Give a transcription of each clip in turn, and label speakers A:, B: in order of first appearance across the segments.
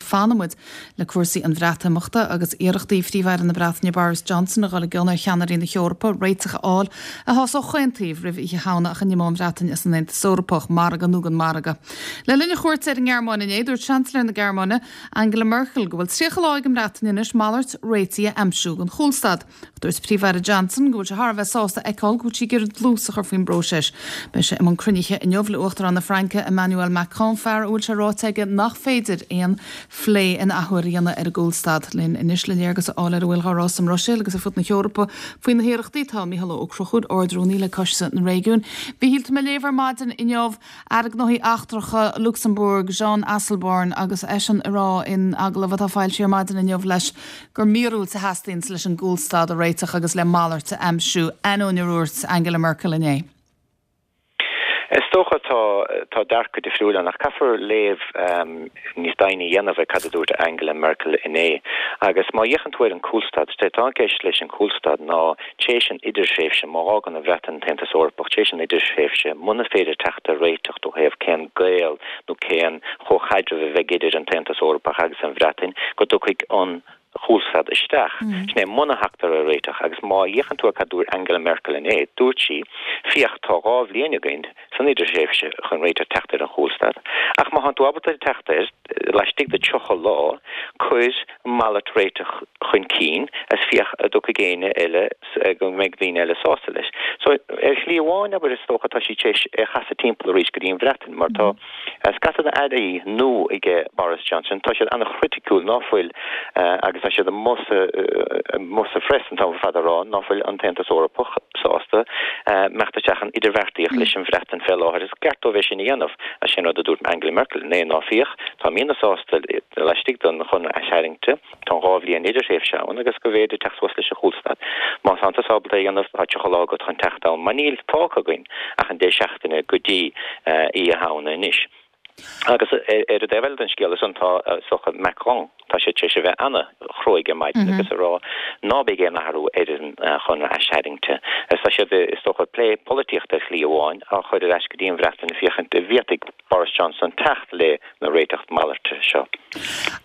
A: Fanfaidh muid le cúrsaí an Bhreatimeachta agus iarrachtaí Phríomh-Aire na Breataine Boris Johnson a dhul i gcion ar cheannairí na hEorpa réiteach a fháil a shásódh chaon taobh roimh Oíche Shamhna ach a n-imeodh an Bhreatain as an Aontas Eorpach, margadh nó gan mhargadh. Le linn a chuairte ar an nGearmáin inné, dúirt Seansailéir na Gearmáine, Angela Merkel, go bhfuil 30 lá ag an mBreatain anois malairt réitigh a aimsiú don chúlstad. Dúirt Príomh-Aire Johnson go bhfuil sé thar a bheith sásta a fheiceáil go bhfuil sí ag iarraidh dlús a chur faoin bpróiseas. Beidh sé i mbun cruinnithe inniu le Uachtarán na Fraince Emmanuel Macron, fear a bhfuil sé ráite aige nach féidir aon phlé in athuair a dhéanamh ar an gcúlstad. Linn anois le léargas a fháil ar a bhfuil á rá sa mBruiséil agus ar fud na hEorpa faoi na hiarrachtaí tá Mícheál Ó Conchúir, Ard-Rúnaí le Coiste na Réigiún. A Mhíchíl, tá mé ag léamh ar maidin inniu Aire Gnóthaí Eachtracha Lucsamburg, Jean Asselborn, agus eisean ag rá in agallamh atá foilsithe ar maidin inniu leis gur míorúilt a theastaíonns leis an gcúlstad a réiteach agus le malairt a aimsiú, ainneoin ar dhúirt Angela Merkel inné.
B: Is dócha tá tá dearcadh difriúil ann ach caithfear léamh níos doimhne a dhéanamh ar cad a dúirt Angela Merkel inné. Agus má fhéachann tú ar an gcúlstad, is é atá i gceist leis an gcúlstad ná Tréis an idirthréimhse, má fhágann an Bhreatain an tAontas Eorpach, tréis an idirthréimhse, muna féidir teacht ar réiteach ó thaobh cén gaol nó cén chomhchaidreamh a bheidh idir an tAontas Eorpach agus an Bhreatain, go dtiocfaidh an chúlstad isteach. Sin é muna thagtar ar réiteach. Agus má fhéachann tú ar cad dúirt Angela Merkel inné, dúirt sí, Féach, tá 2 bhliain againn san idirthréimhse chun réiteach teacht ar an chúlstad, ach má thánn tú ábalta teacht air laistigh de 30 lá, cuir malairt réiteach chun cinn is féach an dtiocfaidh éinne eile, go mbeidh daoine eile sásta leis. So, ar shlí amháin, abair, is dócha, tá sí tar éis é a chasadh timpeall arís go dtí an Bhreatain, mar tá scata d'airí nua aige Boris Johnson, tá siad an-chriticiúil ná fuil, agus tá siad amuigh sa, amuigh sa phress an t-am ar fad ag rá ná fuil an tAontas Eorpach sásta imeacht isteach in idirbheartaíocht leis an Bhreatain fé láthair. Is ceart dóibh é sin a dhéanamh. Is é an rud a dúirt Angela Merkel inné ná féach, táimidne sásta laistigh den chonradh aistarraingte, tá an 2 bhliain idirthréimhse ann agus go bhféidir teacht suas leis an chúlstad. Má tánn tusa ábalta é a dhéanamh, tá 30 lá agat chun teacht ann, mar níl fágtha againn ach an 10 seachtaine go dtí Oíche Shamhna anois. Agus ar an dtaobh eile den scéal ansan tá is dócha Macron, tá sé tar éis a bheith ana-chruaidh ar maidin agus ag rá ná beidh aon athrú ar an chonradh aistarraingte. Agus tá siad, is dócha, ag plé polaitíochta ar shlí amháin á chur ar ais go dtí an Bhreatain féachaint an bhféadfaidh Boris Johnson teacht le na réiteach malairte seo.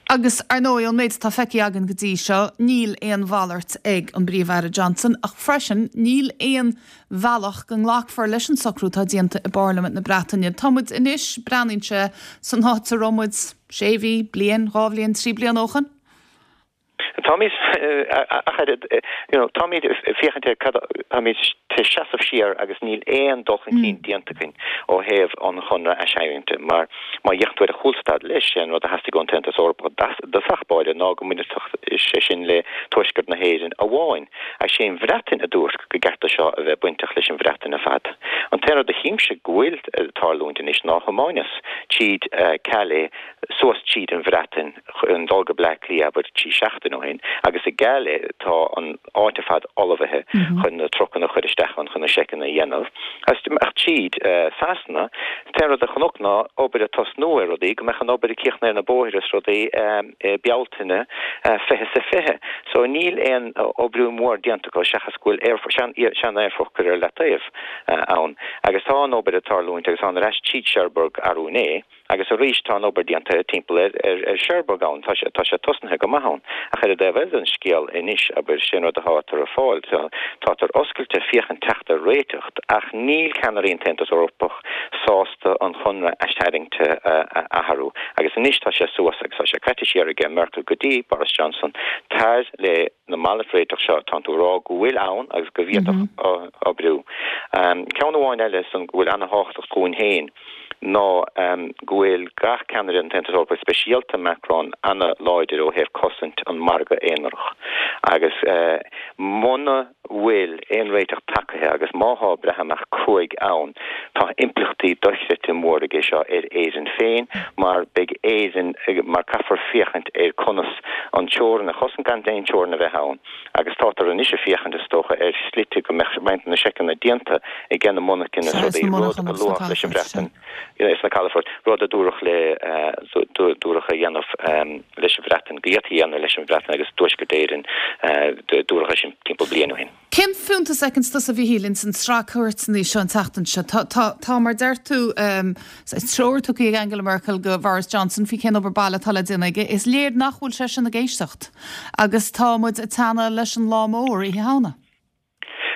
A: Agus, ar ndóigh, ón méid atá feicthe againn go dtí seo, níl aon mhalairt ag an bPríomh-Aire Johnson, ach freisin, níl aon bhealach go nglacfar leis an socrú atá déanta i bParlaimint na Breataine. Tá muid anois, breathnaíonn sé, san áit a raibh muid sé mhí, bliain, 2 bhliain, 3 bliana ó shoin.
B: Táimid, ach oiread, you know, táimid ag féachaint ar cad, táimid ag seasamh siar agus níl aon dul chun cinn déanta againn ó thaobh an chonradh aistarraingte mar má fhéachann tú ar an chúlstad leis, sé an rud a theastaigh ón tAontas Eorpach i dtosach báire ná go mbainfeadh sé sin le Tuaisceart na hÉireann amháin ach sé an Bhreatain a dúirt go gceart do seo a bheith bainteach leis an Bhreatain ar fad. An t-aon rud a chímse go bhfuil ag tarlúint anois ná thiomáineas tríd Calais suas tríd an Bhreatain chun dul go Bleá Cliath abair 3 seachtain ó shin agus i gCalais tá an áit ar fad ullmhaithe chun na trucanna a chur isteach ann chun na seiceanna a dhéanamh. Ach tríd Sasana, an t-aon rud a chonac ná obair ag tosnú ar rudaí, go mbeadh an obair ag críochnú ar na bóithre is rudaí i Bealtaine 20 is 20. So níl aon oibriú mór déanta acu seachas go bhfuil aerfort, sean-aerfort curtha ar leataobh ann. Agus tá an obair ag tarlúint agus thána ar ais tríd Cherbourg arú inné. Agus arís, tá an obair déanta timpeall ar Cherbourg ann, tá sé, tá sé tosnaithe go maith ann. Ach ar an dtaobh eile den scéal anois, abair, sé an rud atáthar ag fáil, tátar oscailte féachaint teacht ar réiteach, ach níl ceannairí an tAontas Eorpach sásta an chonradh aistarraingte a athrú. Agus anois tá sé suas agus tá sé caite siar aige Merkel go dtí Boris Johnson, tar le na malairt réiteach seo, tánn tú a rá go bhfuil ann agus go bhféadfadh oibriú. Ceann amháin eile san go bhfuil ana-thábhachtach dhúinn féin, ná go bhfuil gach ceannaire an tAontas Eorpaigh, speisialta Macron, ana-láidir ó thaobh cosaint an margadh aonarach agus muna bhfuil aon réiteach tagaithe agus má thá Breatimeacht cruaidh ann, tá impleachtaí dochreidte mór aige seo ar Éirinn féin mar beidh Éirinn, mar caithfear féachaint ar conas an teorainn a chosaint gan aon teorainn a bheith ann agus tátar anois ag féachaint is dócha ar shlite go mbeadh roinnt de na seiceanna déanta ag na monarchana is rudaí, rud a luafadh leis an Bhreatain. sna calafoirt, rud a dúradh le, dúradh a dhéanamh leis an Bhreatain, go bhféadfaí a dhéanamh leis an Bhreatain agus Tuaisceart Éireann, dúradh é sin timpeall bliain ó shin.
A: Cén fiúntas a fheiceanns tusa, a Mhíchíl, ins an tsraith cuairteanna seo an tseachtain seo? Tá, tá, tá, mar deir tú, treoir tugtha ag Angela Merkel go Boris Johnson faoi cén obair baile atá le déanamh aige. Is léir nach bhfuil seisean ag éisteacht agus tá muid ag teannadh leis an lá mór, Oíche Shamhna.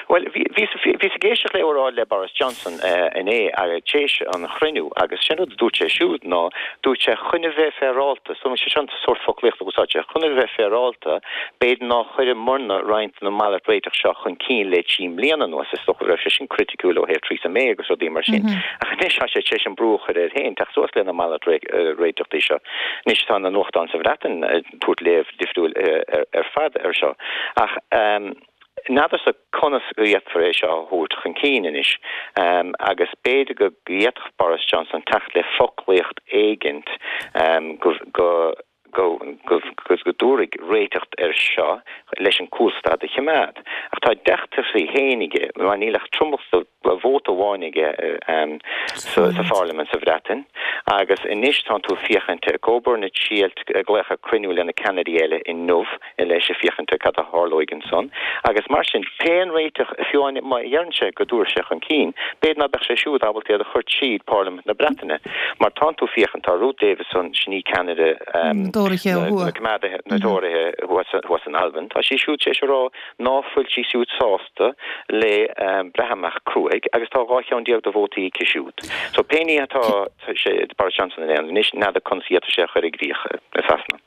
B: Bhuel, bhíos ag éisteacht le óráid le Boris Johnson inné tar éis an chruinniú agus sé'n rud a dúirt sé siúd ná, dúirt sé, chun a bheith féaráilte, so sé seo an sórt foclaíochta a úsáid sé, chun a bheith féaráilte, b'fhéidir nár chuireamarna roinnt de na malairt réiteach seo chun cinn le 3 mbliana anuas, is dócha go raibh sé sin criticiúil ó thaobh Theresa May agus rudaí mar sin. Ach anois tá sé tar éis an brú a chur air féin teacht suas le na malairt réiteachtaí seo. Anois tá na nuachtáin sa Bhreatain ag tabhairt léamh difriúil ar fad air seo. Ach. N'fheadarsa conas go bhféadfar é seo a thabhairt chun cinn anois agus b'fhéidir go bhféadfadh Boris Johnson teacht le foclaíocht éigint go go go go dtabharfaidh réiteach air seo leis an cúlstad a choimeád. Ach tá deacrachtaí féin aige mar níl ach tromlach vóta amháin aige sa pharlaimint sa Bhreatain agus anois tánn tú ag féachaint ag Coburn ag triailt glaoch ar cruinniú le na ceannairí eile inniu leis ag féachaint ar cad a tharlóidh ansan agus mar sin pé an réiteach fiú amháin má dheireann sé go dtabharfaidh sé chun cinn b'fhéidir ná beadh sé siúd ábalta iad a chur tríd Parlaimint na Breataine mar tánn tú ag féachaint tá Ruth Davidson sin í ceannaire
A: na
B: Coimeádaithe na Tóraithe thuas in Albain tá sí siúd tar éis a rá ná fuil sí siúd sásta le Breatimeacht cruaidh agus tá 12 cheann de vótaí aici siúd. So pé ní atá sé Boris Johnson a dhéanamh anois, n'fheadar conas a d'fhéadfadh sé a chur i gcrích i Sasana.